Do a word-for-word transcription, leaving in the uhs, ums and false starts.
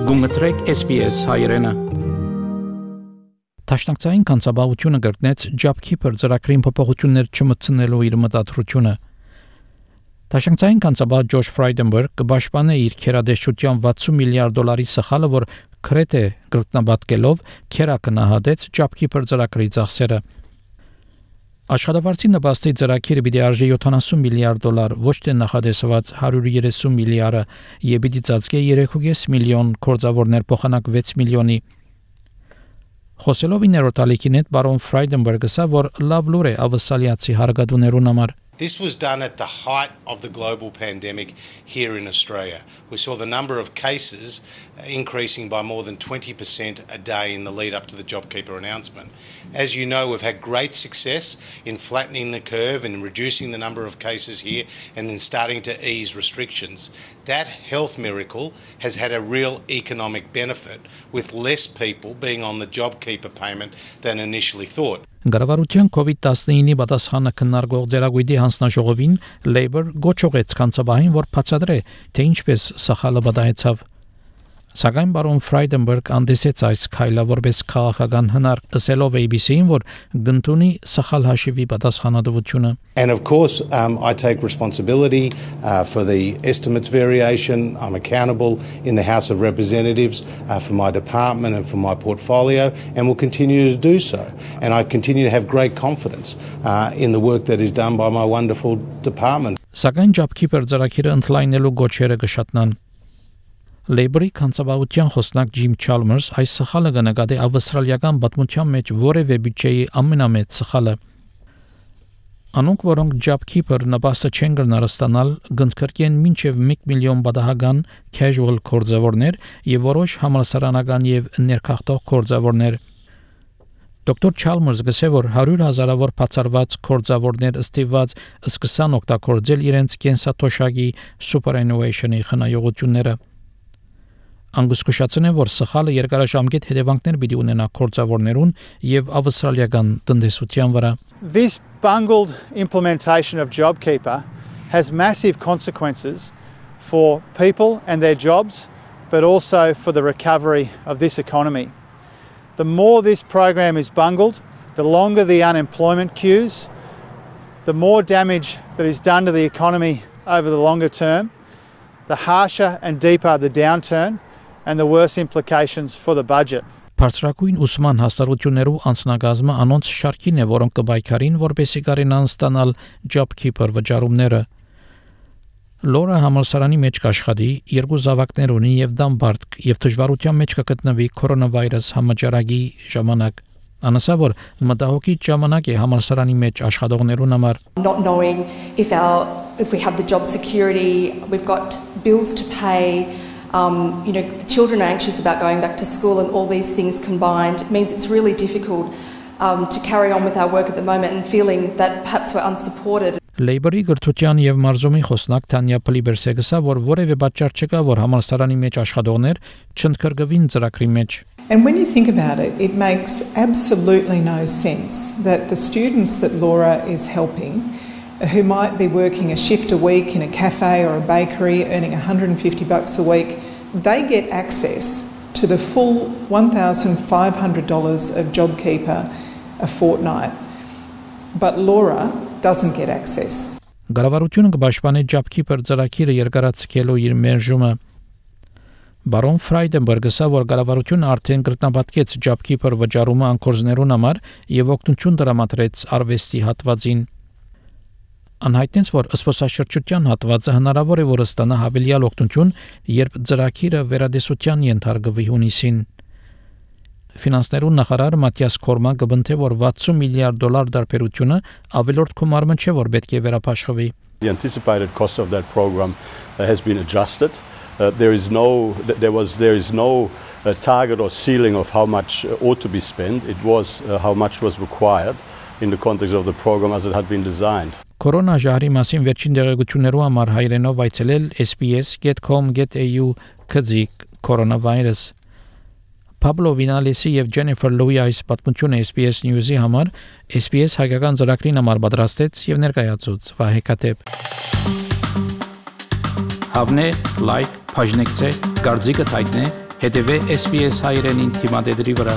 Գումտրեք S B S հայրենը։ Տաշնակցային կանցաբավությունը գրտնեց JobKeeper ծրագրին փոփոխություններ չմտցնելու իր մտադրությունը։ Տաշնակցային կանցաբավ Ջոշ Ֆրայդենբերգ կպաշտպանի իր քերադեշտության վաթսուն միլիարդ դոլարի սխալը, որ քրեթե գրտնաբատկելով քերակնահատեց JobKeeper ծրագրի ծախսերը։ Աշխատավարձի նպաստի ծրագիրը պիտի արժի յոթանասուն միլիարդ դոլար, ոչ թե նախադեсված հարյուր երեսուն միլիարդը, եւ պիտի ծածկի երեք կόμμα պենս միլիոն կորձավորներ փոխանակ վեց միլիոնի։ Խոսելով իներոտալիքին հետ բարոն Ֆրայդենբերգը ասա, որ լավ լուր է ավսալիացի հարգադուներուն համար։ This was done at the height of the global pandemic here in Australia. We saw the number of cases increasing by more than twenty percent a day in the lead up to the JobKeeper announcement. As you know, we've had great success in flattening the curve and reducing the number of cases here and in starting to ease restrictions. That health miracle has had a real economic benefit, with less people being on the JobKeeper payment than initially thought. Գարավարության COVID nineteen-ի պատասխանը քննարկող ձեռագույտի հանձնաժողովին Labour գոչողեց կանցաբահին, որ բացատրե, թե ինչպես սխալը պատահեցավ։ Սակայն բարոն Ֆրայդենբերգ անդեսեց այս քայլը որպես քաղաքական հնար, ասելով A B C-ին, որ գտնունի սխալ հաշիվի պատասխանատվությունը։ And of course, um, I take responsibility uh, for the estimates variation. I'm accountable in the House of Representatives uh, for my department and for my portfolio, and will continue to do so. And I continue to have great confidence uh, in the work that is done by my wonderful department. Սակայն JobKeeper ծրագիրը ընդլայնելու գոչերը կշատնան։ Labour-ի կանցաբավության խոսնակ Ջիմ Չալմերս այս սխալը կնկատի ավստրալիական պատմության մեջ որևէ բյուջեի ամենամեծ սխալը։ Անոնք, որոնք JobKeeper նպաստը չեն գնալ ստանալ, գնդկրկեն մինչև մեկ միլիոն բադահական casual կորձավորներ եւ որոշ համալսարանական եւ ներքախտող կորձավորներ։ Դոկտոր Չալմերս գսե, որ հարյուր հազարավոր բացառված կորձավորներ ըստիված սկսան օգտագործել իրենց կենսաթոշակի superannuation-ի խնայողությունները։ Անգուսկուշացնե, որ սխալը երկարաժամկետ հետևանքներ պիտի ունենա կորձավորներուն եւ ավստրալիական տնտեսության վրա։ This bungled implementation of JobKeeper has massive consequences for people and their jobs, but also for the recovery of this economy. The more this program is bungled, the longer the unemployment queues, the more damage that is done to the economy over the longer term, the harsher and deeper the downturn, and the worse implications for the budget. Բարձրակույն ուսման հաստատություններու անձնագազմը անոնց շարքին է, որոնք կբայքարին, որպեսզի կարենան ստանալ JobKeeper վճարումները։ Լորա համալսարանի մեջ կաշխատի, երկու զավակներ ունի եւ դամբարդ եւ դժվարության մեջ կգտնվի կորոնավիրուս համաճարակի ժամանակ։ Անասա որ մտահոգի ժամանակ է համալսարանի մեջ աշխատողներուն համար։ Not knowing if our if we have the job security, we've got bills to pay. Um, you know, the children are anxious about going back to school, and all these things combined means it's really difficult um, to carry on with our work at the moment and feeling that perhaps we're unsupported. Labour-ի գրթության եւ մարզումի խոսնակ Թանյա Պլիբերսը գսա, որ որևէ պատճառ չկա, որ համալսարանի մեջ աշխատողներ չընդգրկվին ծրագրի մեջ։ And when you think about it, it makes absolutely no sense that the students that Laura is helping, who might be working a shift a week in a cafe or a bakery, earning one hundred fifty bucks a week, they get access to the full one thousand five hundred dollars of JobKeeper a fortnight. But Laura doesn't get access. Գարավարությունը կպաշտպանի JobKeeper ծրագիրը երկարացկելու իր մերժումը։ Բարոն Ֆրայդենբերգը ասա, որ գարավարությունը արդեն կրտնապատկեց JobKeeper վճարումը անկորձներուն համար եւ օգնություն տրամադրեց արվեստի հատվածին։ Անհայտեց, որ սպասաշրջության հատվածը հնարավոր է որ ստանա հավելյալ օգնություն, երբ ծրագիրը վերադեսության ենթարկվի հունիսին։ Ֆինանսներուն նախարար Մատիաս Կորման կբնթե, որ վաթսուն միլիարդ դոլար դարբերությունը ավելորդ գումարը չէ, որ պետք է վերապաշխվի։ The anticipated cost of that program uh, has been adjusted. Uh, there is no, there was, there is no uh, target or ceiling of how much uh, ought to be spent. It was uh, how much was required in the context of the program as it had been designed. Կորոնա ժահրի մասին վերջին դեղեցություններու համար հայրենով այցելել S B S dot com dot A U քծիկ կորոնավիրուս։ Pablo Vinalesi եւ Jennifer Louis այս պատմությունը S B S News-ի համար S B S հայկական ծրագրին համար պատրաստեց եւ ներկայացուց Վահե Կատեփ։ Հավնե, լայք, բաժնեկցե, դարձիկը թայտնե Հետևե S B S հայրենին թիմադեդի վրա։